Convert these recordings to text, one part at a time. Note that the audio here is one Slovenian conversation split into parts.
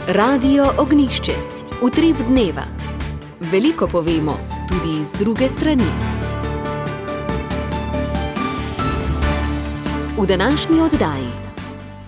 Radio Ognjišče. Utrip dneva. Veliko povemo, tudi iz druge strani. V današnji oddaji.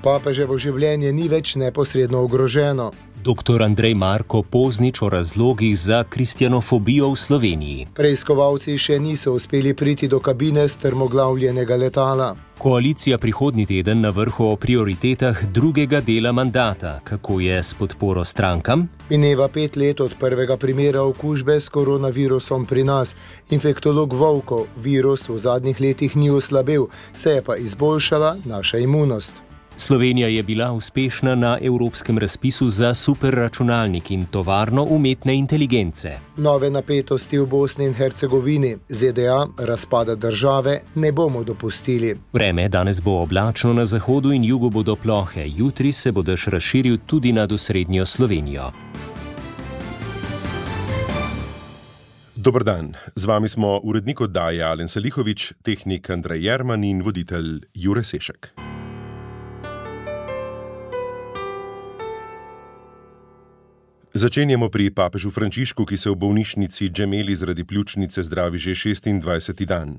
Papeževo življenje ni več neposredno ogroženo. Dr. Andrej Marko Poznič o razlogih za kristjanofobijo v Sloveniji. Preiskovalci še niso uspeli priti do kabine strmoglavljenega letala. Koalicija prihodnji teden na vrhu o prioritetah drugega dela mandata. Kako je s podporo strankam? Mineva 5 let od prvega primera okužbe s koronavirusom pri nas. Infektolog Vovko, virus v zadnjih letih ni oslabel, se je pa izboljšala naša imunost. Slovenija je bila uspešna na evropskem razpisu za superračunalnik in tovarno umetne inteligence. Nove napetosti v Bosni in Hercegovini, ZDA, razpada države ne bomo dopustili. Vreme danes bo oblačno, na zahodu in jugu bodo plohe, jutri se bo dež razširil tudi nad osrednjo Slovenijo. Dober dan, z vami smo urednik oddaje Alen Salihovič, tehnik Andrej Jerman in voditelj Jure Sešek. Začenjamo pri papežu Frančišku, ki se v bolnišnici Gemelli zaradi pljučnice zdravi že 26. dan.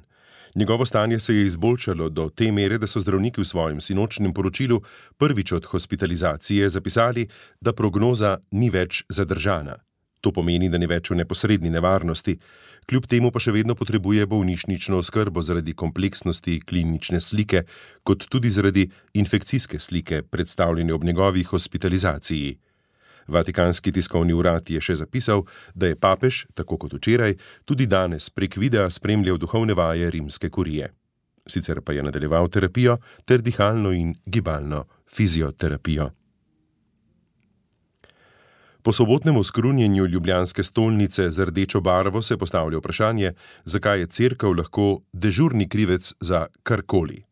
Njegovo stanje se je izboljšalo do te mere, da so zdravniki v svojem sinočnem poročilu prvič od hospitalizacije zapisali, da prognoza ni več zadržana. To pomeni, da ni več v neposredni nevarnosti, kljub temu pa še vedno potrebuje bolnišnično oskrbo zaradi kompleksnosti klinične slike, kot tudi zaradi infekcijske slike, predstavljene ob njegovi hospitalizaciji. Vatikanski tiskovni urad je še zapisal, da je papež, tako kot včeraj, tudi danes prek videa spremljal duhovne vaje rimske kurije. Sicer pa je nadaljeval terapijo ter dihalno in gibalno fizioterapijo. Po sobotnem oskrunjenju ljubljanske stolnice z rdečo barvo se postavlja vprašanje, zakaj je cerkev lahko dežurni krivec za karkoli.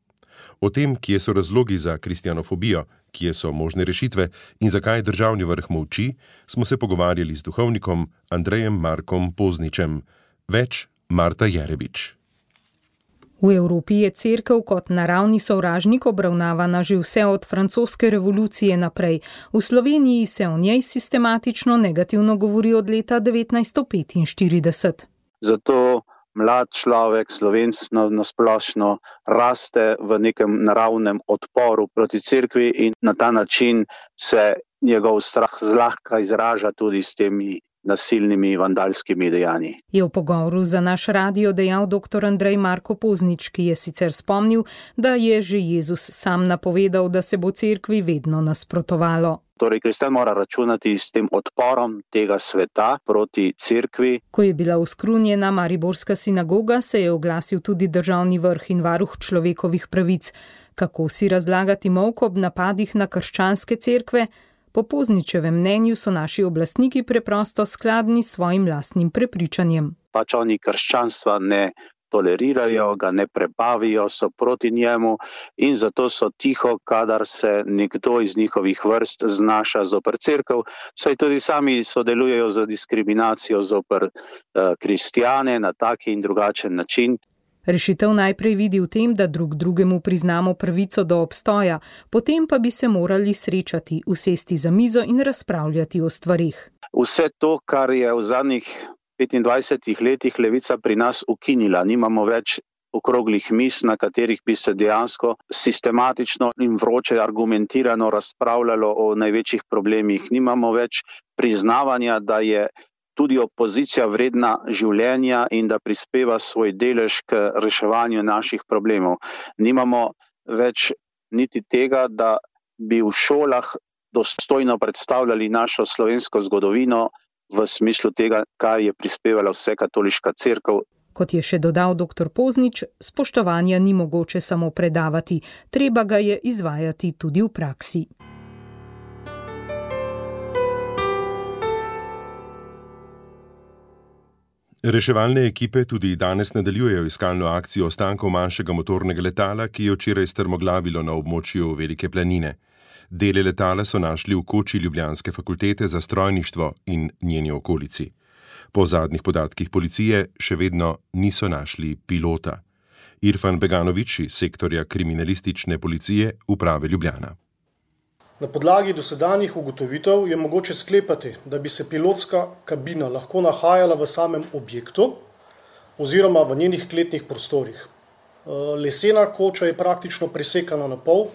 O tem, kje so razlogi za kristjanofobijo, kje so možne rešitve in zakaj državni vrh molči, smo se pogovarjali z duhovnikom Andrejem Markom Pozničem. Več Marta Jerebič. V Evropi je cerkev kot naravni sovražnik obravnavana že vse od francoske revolucije naprej. V Sloveniji se o njej sistematično negativno govori od leta 1945. Zato mlad človek, Slovenc nasplošno, raste v nekem naravnem odporu proti cerkvi in na ta način se njegov strah zlahka izraža tudi s temi nasilnimi vandalskimi dejanji. Je v pogovoru za naš radio dejal dr. Andrej Marko Poznič, ki je sicer spomnil, da je že Jezus sam napovedal, da se bo cerkvi vedno nasprotovalo. Torej, kristjan mora računati s tem odporom tega sveta proti cerkvi. Ko je bila oskrunjena mariborska sinagoga, se je oglasil tudi državni vrh in varuh človekovih pravic. Kako si razlagati molk ob napadih na krščanske cerkve? Po Pozničevem mnenju so naši oblastniki preprosto skladni s svojim lastnim prepričanjem. Pač oni krščanstva ne tolerirajo, ga ne prebavijo, so proti njemu in zato so tiho, kadar se nekdo iz njihovih vrst znaša zoper cerkev, saj tudi sami sodelujejo z diskriminacijo zoper kristjane na taki in drugačen način. Rešitev najprej vidi v tem, da drug drugemu priznamo pravico do obstoja, potem pa bi se morali srečati, usesti za mizo in razpravljati o stvarih. Vse to, kar je v zadnjih 25 letih levica pri nas ukinila, nimamo več okroglih miz, na katerih bi se dejansko sistematično in vroče argumentirano razpravljalo o največjih problemih. Nimamo več priznavanja, da je tudi opozicija vredna življenja in da prispeva svoj delež k reševanju naših problemov. Nimamo več niti tega, da bi v šolah dostojno predstavljali našo slovensko zgodovino v smislu tega, kar je prispevala vse katoliška cerkev. Kot je še dodal dr. Poznič, spoštovanja ni mogoče samo predavati, treba ga je izvajati tudi v praksi. Reševalne ekipe tudi danes nadaljujejo iskalno akcijo ostankov manjšega motornega letala, ki je včeraj strmoglavilo na območju Velike planine. Dele letala so našli v koči Ljubljanske fakultete za strojništvo in njeni okolici. Po zadnjih podatkih policije še vedno niso našli pilota. Irfan Beganović iz sektorja kriminalistične policije Uprave Ljubljana. Na podlagi dosedanjih ugotovitev je mogoče sklepati, da bi se pilotska kabina lahko nahajala v samem objektu oziroma v njenih kletnih prostorih. Lesena koča je praktično presekana na pol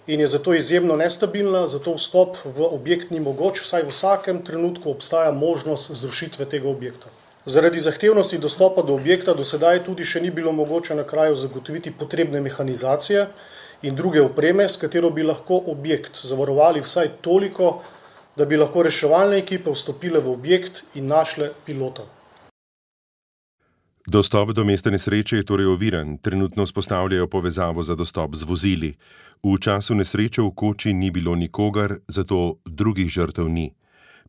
in je zato izjemno nestabilna, zato vstop v objekt ni mogoč, saj v vsakem trenutku obstaja možnost zrušitve tega objekta. Zaradi zahtevnosti dostopa do objekta do sedaj tudi še ni bilo mogoče na kraju zagotoviti potrebne mehanizacije in druge opreme, s katero bi lahko objekt zavarovali vsaj toliko, da bi lahko reševalne ekipe vstopile v objekt in našle pilota. Dostop do mesta nesreče je torej oviran, trenutno vzpostavljajo povezavo za dostop z vozili. V času nesreče v koči ni bilo nikogar, zato drugih žrtev ni.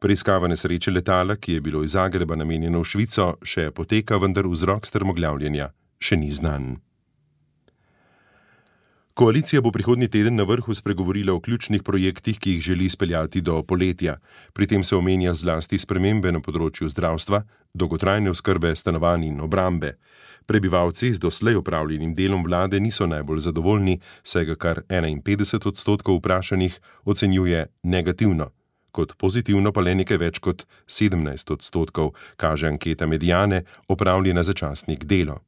Preiskava nesreče letala, ki je bilo iz Zagreba namenjeno v Švico, še poteka, vendar vzrok strmoglavljenja še ni znan. Koalicija bo prihodnji teden na vrhu spregovorila o ključnih projektih, ki jih želi speljati do poletja. Pri tem se omenja zlasti spremembe na področju zdravstva, dolgotrajne oskrbe, stanovanj in obrambe. Prebivalci z doslej opravljenim delom vlade niso najbolj zadovoljni, saj ga kar 51% vprašanih ocenjuje negativno. Kot pozitivno pa le nekaj več kot 17%, kaže anketa Mediane, opravljena za časnik Delo.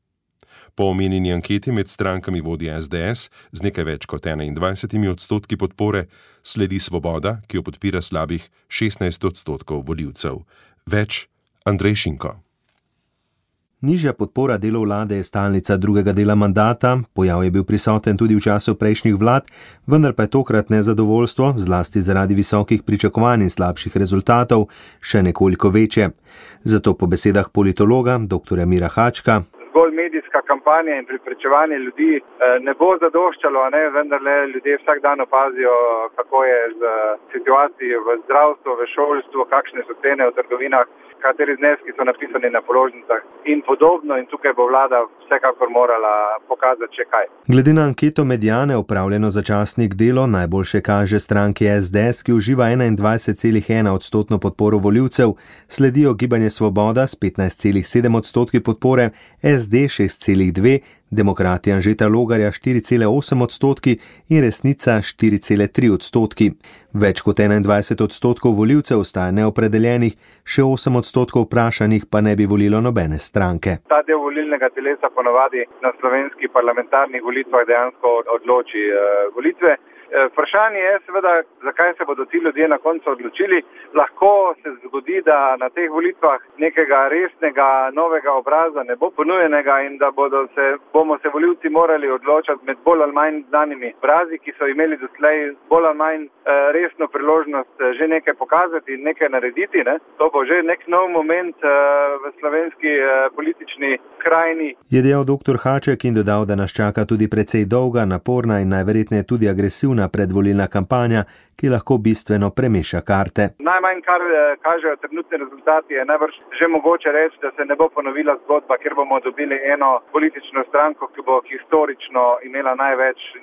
Po omenjeni anketi med strankami vodi SDS z nekaj več kot 21% podpore, sledi Svoboda, ki jo podpira slabih 16% volivcev. Več Andrej Šinko. Nižja podpora delu vlade je stalnica drugega dela mandata, pojav je bil prisoten tudi v času prejšnjih vlad, vendar pa je tokrat nezadovoljstvo, zlasti zaradi visokih pričakovanj in slabših rezultatov, še nekoliko večje. Zato po besedah politologa dr. Mira Hačka zgolj medijska kampanja in prepričevanje ljudi ne bo zadoščalo, vendarle ljudje vsak dan opazijo, kako je z situacijo v zdravstvu, v šolstvu, kakšne so cene v trgovinah, kateri zneski so napisani na položnicah in podobno, in tukaj bo vlada vsekakor morala pokazati še kaj. Glede na anketo Mediane, opravljeno za časnik Delo, najboljše kaže stranki SDS, ki uživa 21,1% podporo volivcev, sledijo Gibanje Svoboda s 15,7% podpore, SD 6,2%, Demokrati Anžeta Logarja 4,8% in Resnica 4,3%. Več kot 21% volivcev ostaja neopredeljenih, še 8% vprašanih pa ne bi volilo nobene stranke. Ta del volilnega telesa ponavadi na slovenskih parlamentarnih volitvah dejansko odloči volitve. Vprašanje je seveda, zakaj se bodo ti ljudje na koncu odločili. Lahko se zgodi, da na teh volitvah nekega resnega novega obraza ne bo ponujenega in da bomo se volivci morali odločati med bolj ali manj znanimi obrazi, ki so imeli doslej bolj ali manj resno priložnost že nekaj pokazati in nekaj narediti. To bo že nek nov moment v slovenski politični krajini. Je dejal dr. Haček in dodal, da nas čaka tudi precej dolga, naporna in najverjetneje tudi agresivna predvolilna kampanja, ki lahko bistveno premeša karte. Najmanj, kar kažejo trenutni rezultati, je najbrž že mogoče reči, da se ne bo ponovila zgodba, kjer bomo dobili eno politično stranko, ki bo historično imela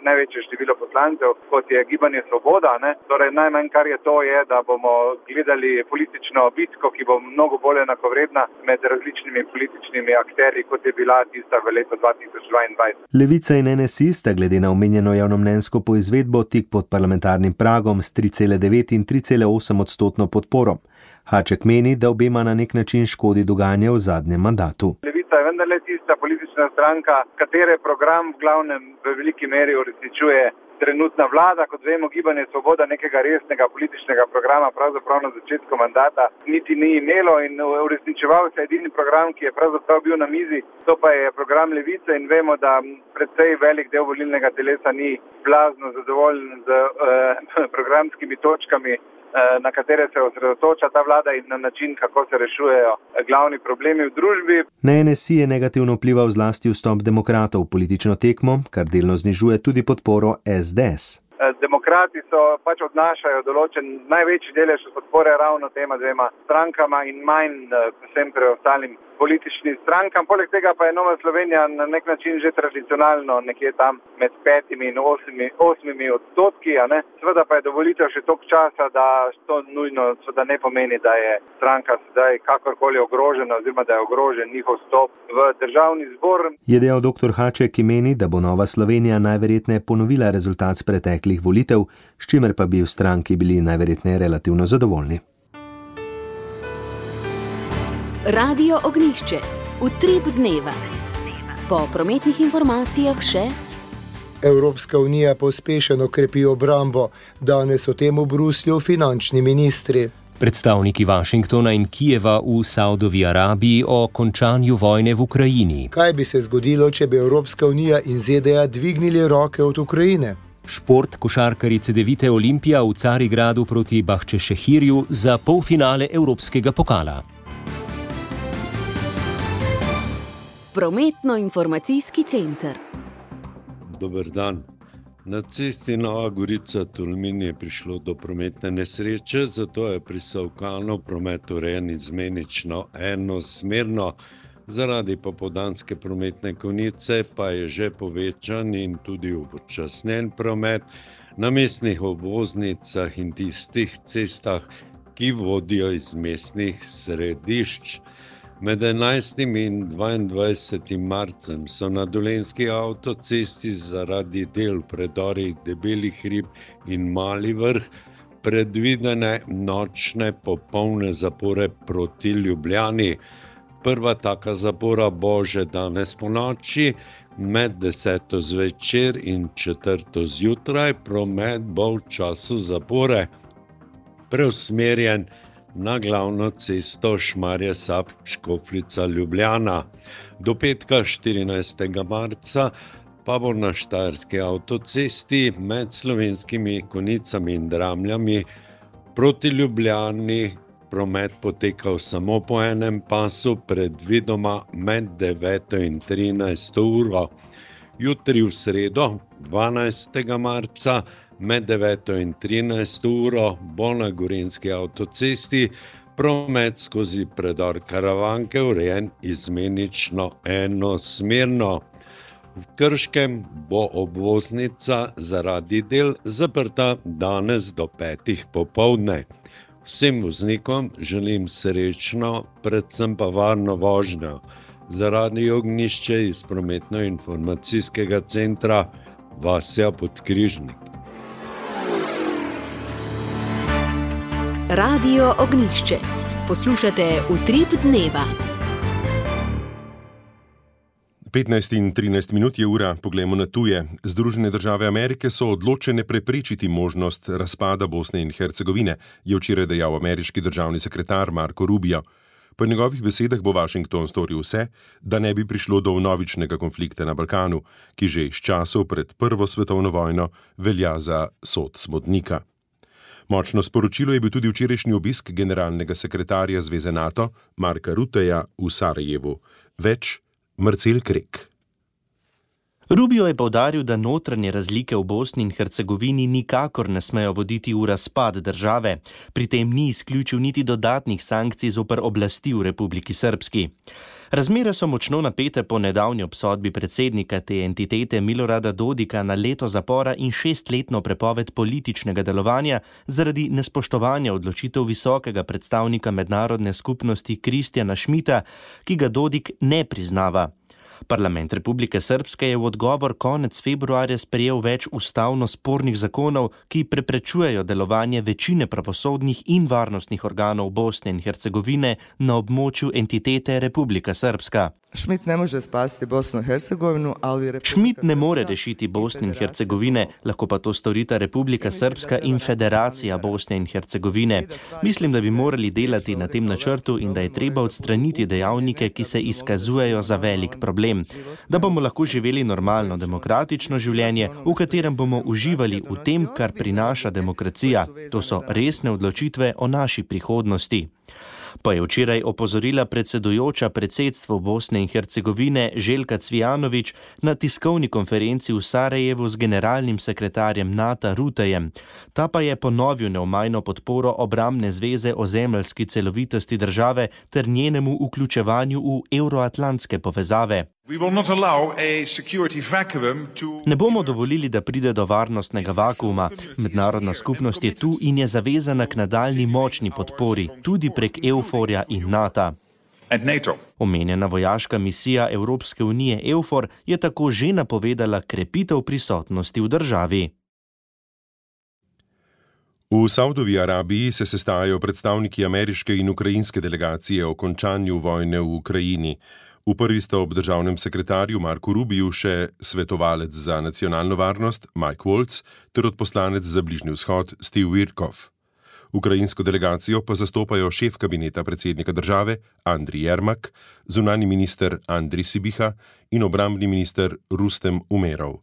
največje število poslancev, kot je Gibanje Svoboda. Torej, najmanj, kar je to, je, da bomo gledali politično bitko, ki bo mnogo bolj enakovredna med različnimi političnimi akterji, kot je bila tista v letu 2022. Levica in NSI sta glede na omenjeno javnomnenjsko poizvedbo tik pod parlamentarnim pragom s 3,9 in 3,8% podporo. Haček meni, da obema na nek način škodi dogajanje v zadnjem mandatu. Levica je vendarle tista politična stranka, katere program v glavnem v veliki meri uresničuje trenutna vlada. Kot vemo, Gibanje Svoboda nekega resnega političnega programa pravzaprav na začetku mandata niti ni imelo in uresničeval se edini program, ki je pravzaprav bil na mizi, to pa je program Levice, in vemo, da precej velik del volilnega telesa ni blazno zadovoljen z programskimi točkami, na katere se osredotoča ta vlada in na način, kako se rešujejo glavni problemi v družbi. Na NSI je negativno vplival zlasti vstop demokratov v politično tekmo, kar delno znižuje tudi podporo SDS. Demokrati odnašajo največji delež podpore ravno tema dvema strankama in manj vsem preostalim političnim strankam. Poleg tega pa je Nova Slovenija na nek način že tradicionalno nekje tam med 5 in 8 odstotki. Seveda pa je do volitev še toliko časa, da to nujno seveda ne pomeni, da je stranka sedaj kakorkoli ogrožena oziroma da je ogrožen njihov vstop v državni zbor. Je dejal dr. Haček, ki meni, da bo Nova Slovenija najverjetneje ponovila rezultat z preteklih volitev, s čimer pa bi v stranki bili najverjetneje relativno zadovoljni. Radio Ognjišče. Utrip dneva. Po prometnih informacijah še: Evropska unija pospešeno krepi obrambo. Danes o tem v Bruslju finančni ministri. Predstavniki Washingtona in Kijeva v Saudovi Arabiji o končanju vojne v Ukrajini. Kaj bi se zgodilo, če bi Evropska unija in ZDA dvignili roke od Ukrajine? Šport košarkarice Devite Olimpija v Carigradu proti Bahčešehirju za polfinale Evropskega pokala. Prometno-informacijski center. Dober dan. Na cesti Nova Gorica-Tolmin je prišlo do prometne nesreče, zato je prisovkalno promet urejen izmenično enosmerno. Zaradi popoldanske prometne konice pa je že povečan in tudi upočasnjen promet na mestnih obvoznicah in tistih cestah, ki vodijo iz mestnih središč. Med 11. in 22. marcem so na Dolenjski avtocesti zaradi del v predorih Debeli hrib in Mali vrh predvidene nočne popolne zapore proti Ljubljani. Prva taka zapora bo že danes ponoči, med 10. zvečer in 4. zjutraj. Promet bo v času zapore preusmerjen na glavno cesto Šmarje-Sap-Škofljica-Ljubljana. Do petka 14. marca pa bo na Štajerski avtocesti med Slovenskimi Konicami in Dramljami proti Ljubljani promet potekal samo po enem pasu, predvidoma med 9. in 13. uro. Jutri v sredo, 12. marca, med 9. in 13. uro bo na Gorenjski avtocesti promet skozi predor Karavanke urejen izmenično enosmerno. V Krškem bo obvoznica zaradi del zaprta danes do 5. popoldne. Vsem voznikom želim srečno, predvsem pa varno vožnjo. Za Radio Ognjišče iz prometno-informacijskega centra Vasja Podkrižnik. Radio Ognjišče. Poslušate Utrip dneva. 15 in 13 minut je ura, poglejmo na tuje. Združene države Amerike so odločene preprečiti možnost razpada Bosne in Hercegovine, je včeraj dejal ameriški državni sekretar Marco Rubio. Po njegovih besedah bo Washington storil vse, da ne bi prišlo do vnovičnega konflikta na Balkanu, ki že iz časov pred Prvo svetovno vojno velja za sod smodnika. Močno sporočilo je bil tudi včerajšnji obisk generalnega sekretarja Zveze NATO Marka Rutteja v Sarajevu. Več Marcel Krek. Rubio je poudaril, da notranje razlike v Bosni in Hercegovini nikakor ne smejo voditi v razpad države. Pri tem ni izključil niti dodatnih sankcij zoper oblasti v Republiki Srpski. Razmere so močno napete po nedavni obsodbi predsednika te entitete Milorada Dodika na leto zapora in 6-letno prepoved političnega delovanja zaradi nespoštovanja odločitev visokega predstavnika mednarodne skupnosti Kristjana Schmidta, ki ga Dodik ne priznava. Parlament Republike Srpske je v odgovor konec februarja sprejel več ustavno spornih zakonov, ki preprečujejo delovanje večine pravosodnih in varnostnih organov Bosne in Hercegovine na območju entitete Republika Srpska. Schmidt ne može spasti Bosno in Hercegovino, ali Schmidt ne more rešiti Bosne in Hercegovine, lahko pa to storita Republika Srpska in Federacija Bosne in Hercegovine. Mislim, da bi morali delati na tem načrtu in da je treba odstraniti dejavnike, ki se izkazujejo za velik problem. Da bomo lahko živeli normalno demokratično življenje, v katerem bomo uživali v tem, kar prinaša demokracija. To so resne odločitve o naši prihodnosti. Pa je včeraj opozorila predsedujoča predsedstvu Bosne in Hercegovine Željka Cvijanović na tiskovni konferenci v Sarajevu z generalnim sekretarjem NATO Rutejem. Ta pa je ponovil neomajno podporo obrambne zveze ozemeljski celovitosti države ter njenemu vključevanju v evroatlantske povezave. Ne bomo dovolili, da pride do varnostnega vakuuma. Mednarodna skupnost je tu in je zavezana k nadaljni močni podpori, tudi prek EUFOR-ja in NATO. Omenjena vojaška misija Evropske unije EUFOR je tako že napovedala krepitev prisotnosti v državi. V Saudovi Arabiji se sestajajo predstavniki ameriške in ukrajinske delegacije o končanju vojne v Ukrajini. V prvi sta ob državnem sekretarju Marku Rubiju še svetovalec za nacionalno varnost Mike Waltz ter odposlanec za Bližnji vzhod Steve Witkoff. Ukrajinsko delegacijo pa zastopajo šef kabineta predsednika države Andriy Yermak, zunanji minister Andriy Sibiha in obrambni minister Rustem Umerov.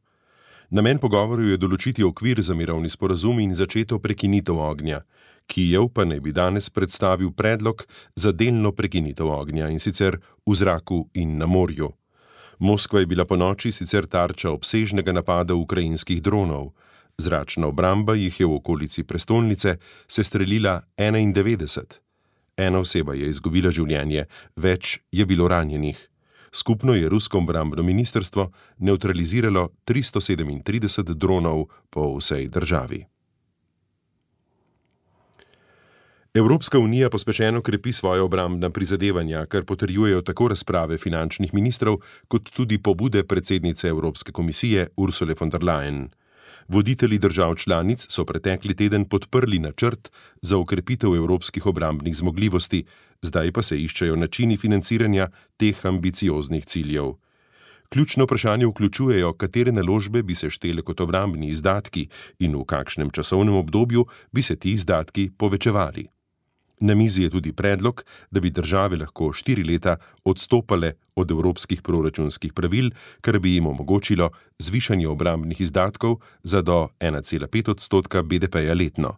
Namen pogovorov je določiti okvir za mirovni sporazum in začeto prekinitev ognja. Kijev pa naj bi danes predstavil predlog za delno prekinitev ognja, in sicer v zraku in na morju. Moskva je bila ponoči sicer tarča obsežnega napada ukrajinskih dronov. Zračna obramba jih je v okolici prestolnice sestrelila 91. Ena oseba je izgubila življenje, več je bilo ranjenih. Skupno je rusko obrambno ministrstvo nevtraliziralo 337 dronov po vsej državi. Evropska unija pospešeno krepi svoje obrambna prizadevanja, kar potrjujejo tako razprave finančnih ministrov, kot tudi pobude predsednice Evropske komisije Ursule von der Leyen. Voditelji držav članic so pretekli teden podprli načrt za okrepitev evropskih obrambnih zmogljivosti, zdaj pa se iščejo načini financiranja teh ambicioznih ciljev. Ključno vprašanje vključujejo, katere naložbe bi se štele kot obrambni izdatki in v kakšnem časovnem obdobju bi se ti izdatki povečevali. Na mizi je tudi predlog, da bi države lahko 4 leta odstopale od evropskih proračunskih pravil, kar bi jim omogočilo zvišanje obrambnih izdatkov za do 1,5% BDP-ja letno.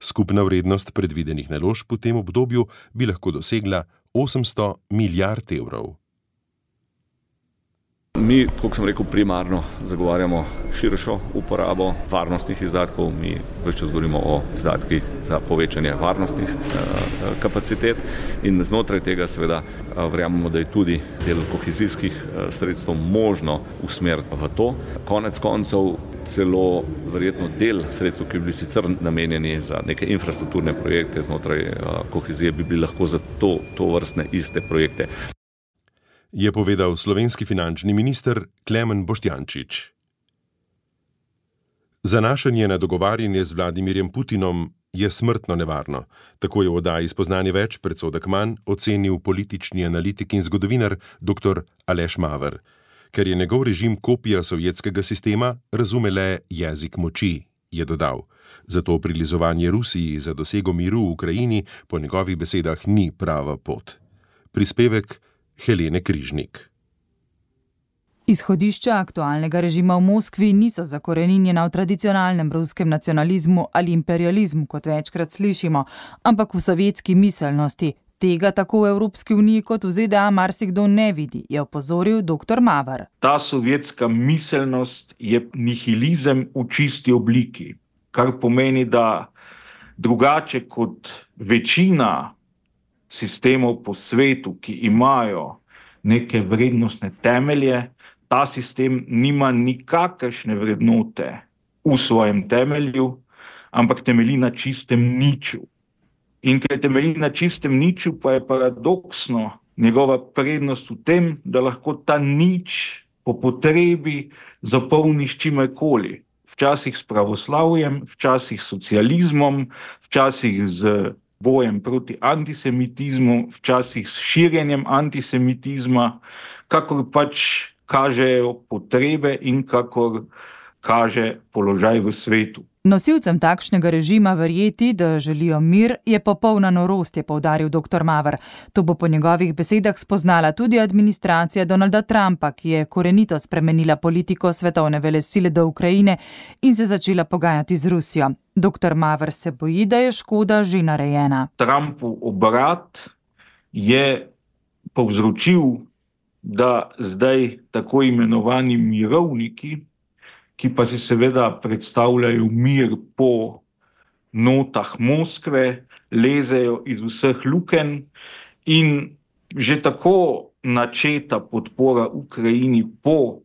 Skupna vrednost predvidenih naložb v tem obdobju bi lahko dosegla 800 milijard evrov. Mi, kot sem rekel, primarno zagovarjamo širšo uporabo varnostnih izdatkov. Mi ves čas govorimo o izdatkih za povečanje varnostnih kapacitet in znotraj tega seveda verjamemo, da je tudi del kohezijskih sredstev možno usmeriti v to. Konec koncev celo verjetno del sredstev, ki bi bili sicer namenjeni za neke infrastrukturne projekte znotraj kohezije, bi bili lahko za to vrstne iste projekte. Je povedal slovenski finančni minister Klemen Boštjančič. Zanašanje na dogovarjanje z Vladimirjem Putinom je smrtno nevarno. Tako je v oddaji Spoznanje več predsodek manj ocenil politični analitik in zgodovinar dr. Aleš Maver. Ker je njegov režim kopija sovjetskega sistema, razume le jezik moči, je dodal. Zato prilizovanje Rusiji za dosego miru v Ukrajini po njegovih besedah ni prava pot. Prispevek Helene Križnik. Izhodišča aktualnega režima v Moskvi niso zakoreninjena v tradicionalnem ruskem nacionalizmu ali imperializmu, kot večkrat slišimo, ampak v sovjetski miselnosti. Tega tako v Evropski uniji kot v ZDA marsikdo ne vidi, je opozoril dr. Maver. Ta sovjetska miselnost je nihilizem v čisti obliki, kar pomeni, da drugače kot večina sistemov po svetu, ki imajo neke vrednostne temelje, ta sistem nima nikakršne vrednote v svojem temelju, ampak temelji na čistem niču. In ker temelji na čistem niču, pa je paradoksno njegova prednost v tem, da lahko ta nič po potrebi zapolni s čimerkoli. Včasih s pravoslavjem, včasih s socializmom, včasih z bojem proti antisemitizmu, včasih s širjenjem antisemitizma, kakor pač kažejo potrebe in kakor kaže položaj v svetu. Nosilcem takšnega režima verjeti, da želijo mir, je popolna norost, je poudaril dr. Maver. To bo po njegovih besedah spoznala tudi administracija Donalda Trumpa, ki je korenito spremenila politiko svetovne velesile do Ukrajine in se začela pogajati z Rusijo. Dr. Maver se boji, da je škoda že narejena. Trumpov obrat je povzročil, da zdaj tako imenovani mirovniki, ki pa si seveda predstavljajo mir po notah Moskve, lezejo iz vseh lukenj in že tako načeta podpora Ukrajini po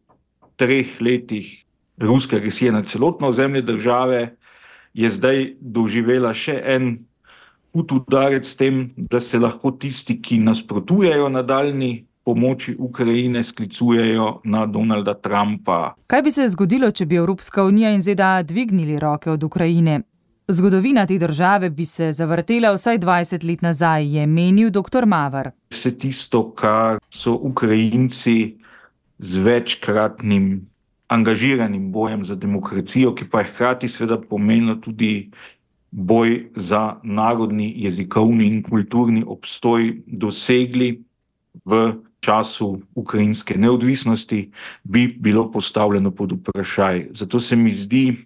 3 letih ruske agresije na celotno ozemlje države je zdaj doživela še en hud udarec s tem, da se lahko tisti, ki nasprotujejo nadaljnji pomoči Ukrajine, sklicujejo na Donalda Trumpa. Kaj bi se zgodilo, če bi Evropska unija in ZDA dvignili roke od Ukrajine? Zgodovina te države bi se zavrtela vsaj 20 let nazaj, je menil dr. Maver. Vse tisto, kar so Ukrajinci z večkratnim angažiranim bojem za demokracijo, ki pa je hkrati seveda pomenilo tudi boj za narodni, jezikovni in kulturni obstoj dosegli v času ukrajinske neodvisnosti, bi bilo postavljeno pod vprašaj. Zato se mi zdi,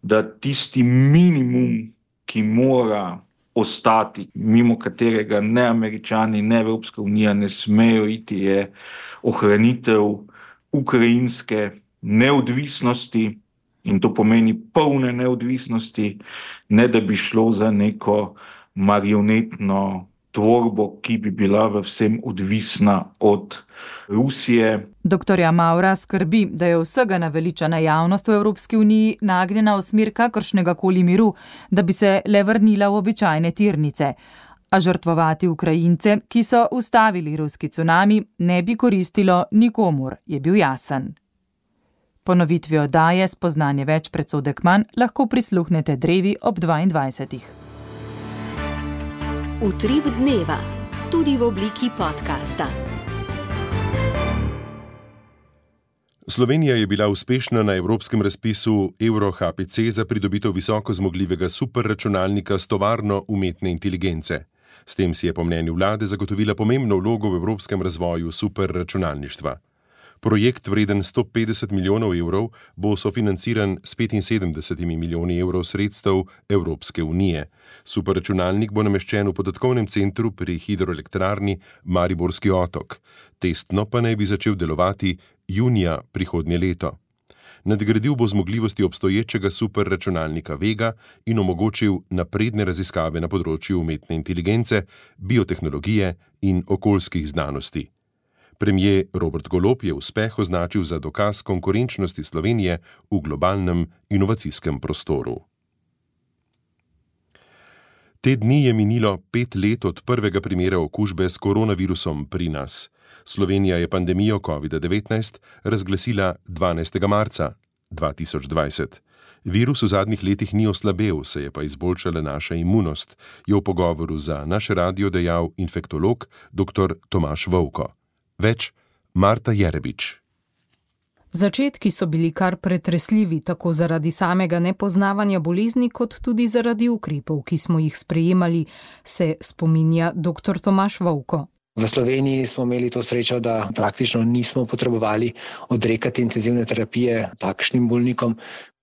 da tisti minimum, ki mora ostati, mimo katerega ne Američani, ne Evropska unija ne smejo iti, je ohranitev ukrajinske neodvisnosti, in to pomeni polne neodvisnosti, ne da bi šlo za neko marionetno tvorbo, ki bi bila v vsem odvisna od Rusije. Dr. Maura skrbi, da je vsega naveličana javnost v Evropski uniji nagnjena v smer kakršnega koli miru, da bi se le vrnila v običajne tirnice. A žrtvovati Ukrajince, ki so ustavili ruski cunami, ne bi koristilo nikomur, je bil jasen. Ponovitvi oddaje Spoznanje več, predsodek manj lahko prisluhnete drevi ob 22. Utrip dneva, tudi v obliki podcasta. Slovenija je bila uspešna na evropskem razpisu Euro-HPC za pridobitev visoko zmogljivega superračunalnika s tovarno umetne inteligence. S tem si je po mnenju vlade zagotovila pomembno vlogo v evropskem razvoju superračunalništva. Projekt vreden 150 milijonov evrov bo sofinanciran s 75 milijoni evrov sredstev Evropske unije. Superračunalnik bo nameščen v podatkovnem centru pri hidroelektrarni Mariborski otok. Testno pa naj bi začel delovati junija prihodnje leto. Nadgradil bo zmogljivosti obstoječega superračunalnika Vega in omogočil napredne raziskave na področju umetne inteligence, biotehnologije in okoljskih znanosti. Premier Robert Golob je uspeh označil za dokaz konkurenčnosti Slovenije v globalnem inovacijskem prostoru. Te dni je minilo 5 let od prvega primera okužbe s koronavirusom pri nas. Slovenija je pandemijo COVID-19 razglasila 12. marca 2020. Virus v zadnjih letih ni oslabel, se je pa izboljšala naša imunost, je v pogovoru za naš radio dejal infektolog dr. Tomaž Vovko. Več Marta Jerebič. Začetki so bili kar pretresljivi, tako zaradi samega nepoznavanja bolezni, kot tudi zaradi ukrepov, ki smo jih sprejemali, se spominja dr. Tomaž Vovko. V Sloveniji smo imeli to srečo, da praktično nismo potrebovali odrekati intenzivne terapije takšnim bolnikom,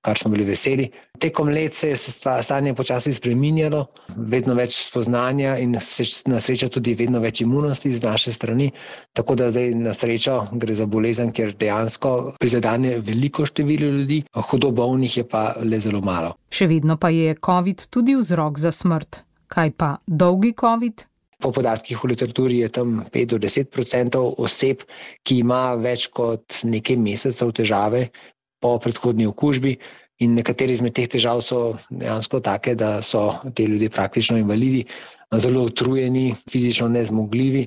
kar smo bili veseli. Tekom let se je stanje počasi spreminjalo, vedno več spoznanja in na srečo tudi vedno več imunosti z naše strani, tako da zdaj na srečo gre za bolezen, kjer dejansko prizadene veliko število ljudi, hudo bolnih je pa le zelo malo. Še vedno pa je COVID tudi vzrok za smrt. Kaj pa dolgi COVID? Po podatkih v literaturi je tam 5 do 10% oseb, ki ima več kot nekaj mesecev težave po predhodni okužbi, in nekateri izmed teh težav so dejansko take, da so te ljudje praktično invalidi, zelo utrujeni, fizično nezmogljivi.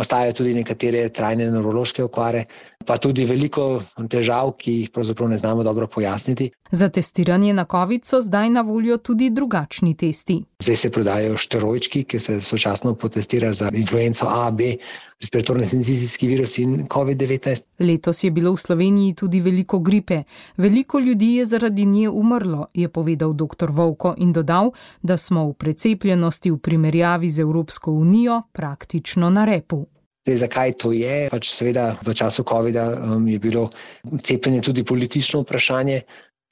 Ostajajo tudi nekatere trajne nevrološke okvare, pa tudi veliko težav, ki jih pravzaprav ne znamo dobro pojasniti. Za testiranje na COVID so zdaj na voljo tudi drugačni testi. Zdaj se prodajajo šteroički, ki se sočasno potestirajo za influenco A, B, respiratorni sincicijski virus in COVID-19. Letos je bilo v Sloveniji tudi veliko gripe. Veliko ljudi je zaradi nje umrlo, je povedal dr. Vovko in dodal, da smo v precepljenosti v primerjavi z Evropsko unijo praktično na repu. Zdaj, zakaj to je? Seveda v času COVID-a je bilo cepljenje tudi politično vprašanje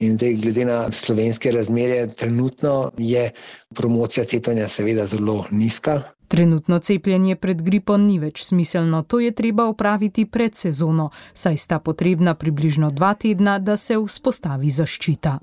In zdaj, glede na slovenske razmere, trenutno je promocija cepljenja seveda zelo nizka. Trenutno cepljenje pred gripom ni več smiselno, to je treba opraviti pred sezono, saj sta potrebna približno 2 tedna, da se vzpostavi zaščita.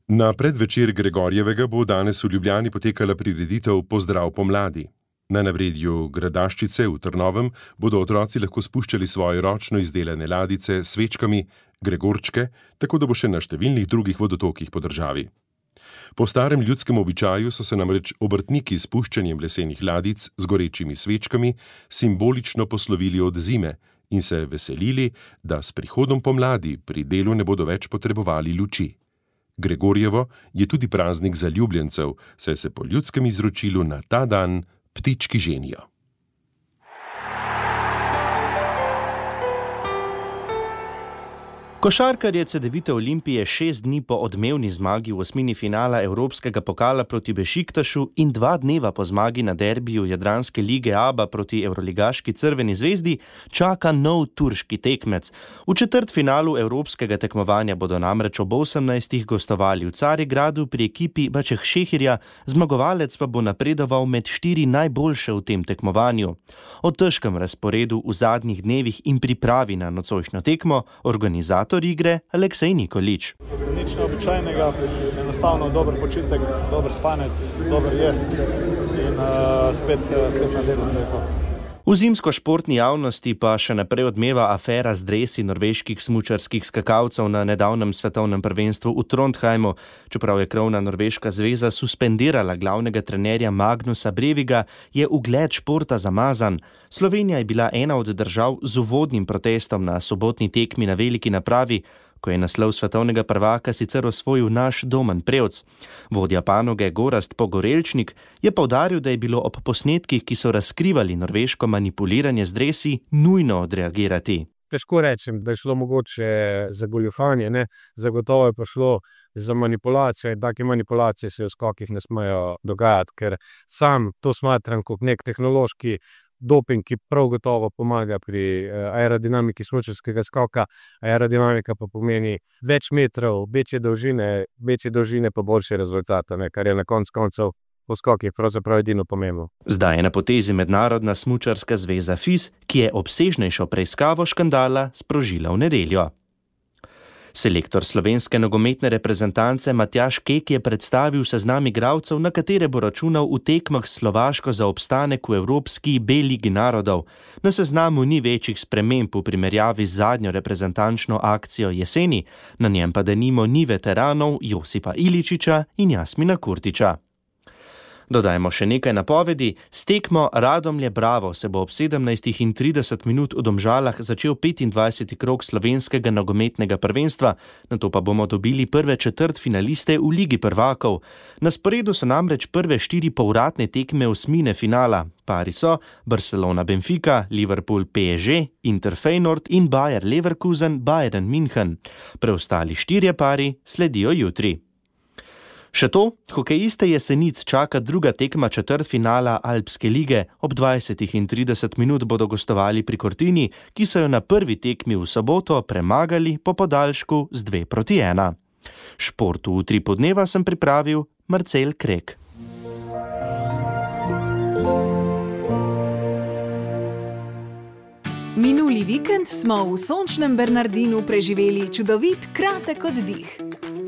Na predvečer Gregorjevega bo danes v Ljubljani potekala prireditev Pozdrav pomladi. Na nabredju Gradaščice v Trnovem bodo otroci lahko spuščali svoje ročno izdelane ladice s svečkami, gregorčke, tako da bo še na številnih drugih vodotokih po državi. Po starem ljudskem običaju so se namreč obrtniki s puščanjem lesenih ladic z gorečimi svečkami simbolično poslovili od zime in se veselili, da s prihodom pomladi pri delu ne bodo več potrebovali luči. Gregorjevo je tudi praznik zaljubljencev, saj se po ljudskem izročilu na ta dan ptički ženijo. Košarkarje Cedevite Olimpije 6 dni po odmevni zmagi v osmini finala Evropskega pokala proti Bešiktašu in 2 dneva po zmagi na derbiju Jadranske lige ABA proti evroligaški Crveni zvezdi čaka nov turški tekmec. V četrtfinalu evropskega tekmovanja bodo namreč ob 18. gostovali v Carigradu pri ekipi Bačehšehirja, zmagovalec pa bo napredoval med 4 najboljše v tem tekmovanju. O težkem razporedu v zadnjih dnevih in pripravi na nocojšnjo tekmo organizator igre Aleksej Nikolič. Nič neobičajnega, enostavno dober počitek, dober spanec, dober jest in spet na delu. V zimsko-športni javnosti pa še naprej odmeva afera z dresi norveških smučarskih skakalcev na nedavnem svetovnem prvenstvu v Trondheimu. Čeprav je krovna norveška zveza suspendirala glavnega trenerja Magnusa Breviga, je ugled športa zamazan. Slovenija je bila ena od držav z uvodnim protestom na sobotni tekmi na veliki napravi, ko je naslov svetovnega prvaka sicer osvojil naš Domen Prevc. Vodja panoge Gorazd Pogorelčnik je poudaril, da je bilo ob posnetkih, ki so razkrivali norveško manipuliranje z dresi, nujno odreagirati. Težko rečem, da je šlo mogoče za goljufanje, ne? Zagotovo je pa šlo za manipulacijo in take manipulacije se v skokih ne smejo dogajati, ker sam to smatram kot nek tehnološki doping, ki prav gotovo pomaga pri aerodinamiki smučarskega skoka. Aerodinamika pa pomeni več metrov, večje dolžine pa boljše rezultate, kar je na koncev v skokih pravzaprav edino pomembno. Zdaj je na potezi Mednarodna smučarska zveza FIS, ki je obsežnejšo preiskavo škandala sprožila v nedeljo. Selektor slovenske nogometne reprezentance Matjaž Kek je predstavil seznam igralcev, na katere bo računal v tekmah s Slovaško za obstanek v Evropski B ligi narodov. Na seznamu ni večjih sprememb v primerjavi z zadnjo reprezentančno akcijo jeseni, na njem pa denimo ni veteranov Josipa Iličiča in Jasmina Kurtiča. Dodajmo še nekaj napovedi. S tekmo Radomlje Bravo se bo ob 17:30 v Domžalah začel 25. krog slovenskega nogometnega prvenstva, nato pa bomo dobili prve četrtfinaliste v Ligi prvakov. Na sporedu so namreč prve 4 povratne tekme osmine finala. Pari so Barcelona Benfica, Liverpool PSG, Inter Feyenoord in Bayer Leverkusen Bayern München. Preostali 4 pari sledijo jutri. Še to, hokejiste Jesenic čaka druga tekma četrtfinala Alpske lige. Ob 20:30 bodo gostovali pri Cortini, ki so jo na prvi tekmi v soboto premagali po podaljšku z 2:1. Športu v Utripu dneva sem pripravil Marcel Krek. Minuli vikend smo v sončnem Bernardinu preživeli čudovit kratek oddih.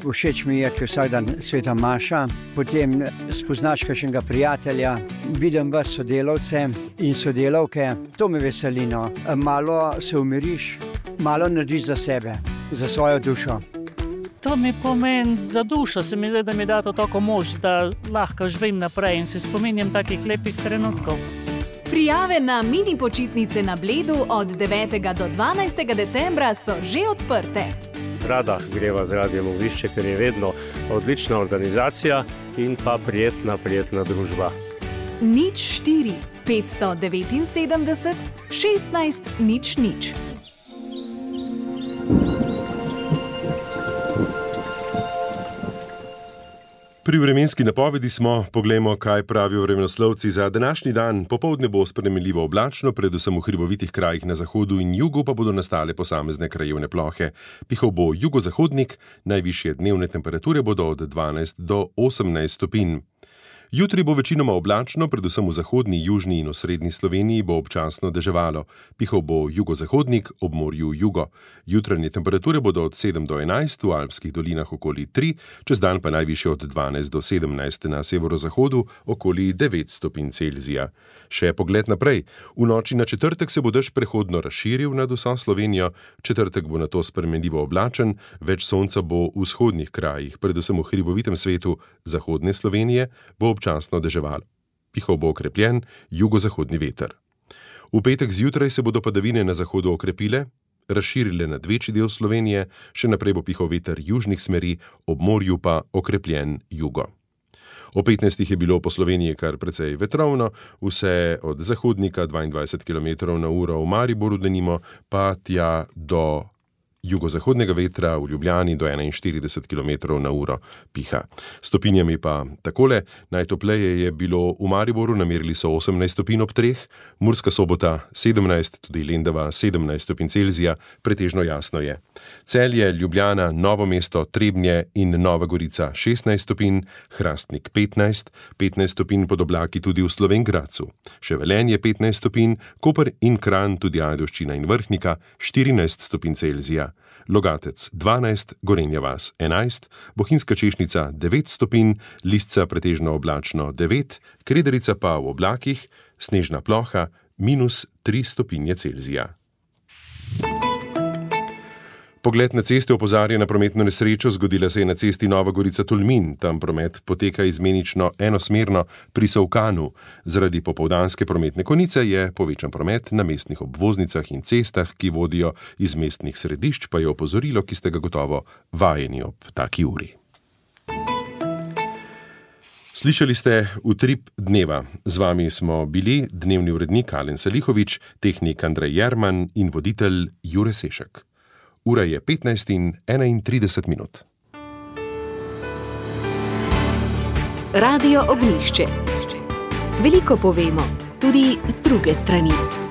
Všeč mi je, ker vsak dan sveta maša, potem spoznaš kakšnega prijatelja, vidim vas sodelavce in sodelavke, to me veseli, no. Malo se umiriš, malo narediš za sebe, za svojo dušo. To mi pomeni za dušo, se mi zdi, da mi da to tako moč, da lahko živim naprej in se spominjam takih lepih trenutkov. Prijave na mini počitnice na Bledu od 9. do 12. decembra so že odprte. Rada greva z Radijem Oglišče, ker je vedno odlična organizacija in pa prijetna družba. 04 579 16 00. Pri vremenski napovedi smo, poglejmo, kaj pravijo vremenoslovci za današnji dan. Popoldne bo spremenljivo oblačno, predvsem v hribovitih krajih na zahodu in jugu pa bodo nastale posamezne krajevne plohe. Pihal bo jugozahodnik, najvišje dnevne temperature bodo od 12 do 18 stopinj. Jutri bo večinoma oblačno, predvsem v zahodni, južni in osrednji Sloveniji bo občasno deževalo. Pihal bo jugozahodnik, ob morju jugo. Jutranje temperature bodo od 7 do 11, v alpskih dolinah okoli 3, čez dan pa najvišje od 12 do 17, na severozahodu okoli 9 stopinj Celzija. Še pogled naprej. V noči na četrtek se bo dež prehodno razširil nad vso Slovenijo, četrtek bo nato spremenljivo oblačen, več sonca bo v vzhodnih krajih, predvsem v hribovitem svetu zahodne Slovenije, bo občasno deževalo. Pihal bo okrepljen jugozahodni veter. V petek zjutraj se bodo padavine na zahodu okrepile, razširile nad večji del Slovenije, še naprej bo pihal veter južnih smeri, ob morju pa okrepljen jugo. O 15 je bilo po Sloveniji kar precej vetrovno, vse od zahodnika 22 km/h v Mariboru denimo, pa tja do jugozahodnega vetra v Ljubljani do 41 km/h piha. Stopinjami pa takole, najtopleje je bilo v Mariboru, namerili so 18 stopinj ob 3, Murska Sobota 17, tudi Lendava 17 stopinj Celzija, pretežno jasno je. Celje, Ljubljana, Novo mesto, Trebnje in Nova Gorica 16 stopinj, Hrastnik 15, 15 stopinj pod oblaki tudi v Slovenj Gradcu. Še Velenje 15 stopinj, Koper in Kranj, tudi Ajdovščina in Vrhnika 14 stopinj Celzija. Logatec 12, Gorenja vas 11, Bohinjska Češnica 9 stopinj, Lisca pretežno oblačno 9, Krederica pa v oblakih, snežna ploha -3 stopinje Celzija. Pogled na ceste opozarja na prometno nesrečo, zgodila se je na cesti Nova Gorica-Tolmin. Tam promet poteka izmenično enosmerno pri Savkanu. Zaradi popoldanske prometne konice je povečan promet na mestnih obvoznicah in cestah, ki vodijo iz mestnih središč, pa je opozorilo, ki ste ga gotovo vajeni ob taki uri. Slišali ste Utrip dneva. Z vami smo bili dnevni urednik Alen Salihovič, tehnik Andrej Jerman in voditelj Jure Sešek. Ura je 15:31. Radio Ognjišče. Veliko povemo, tudi z druge strani.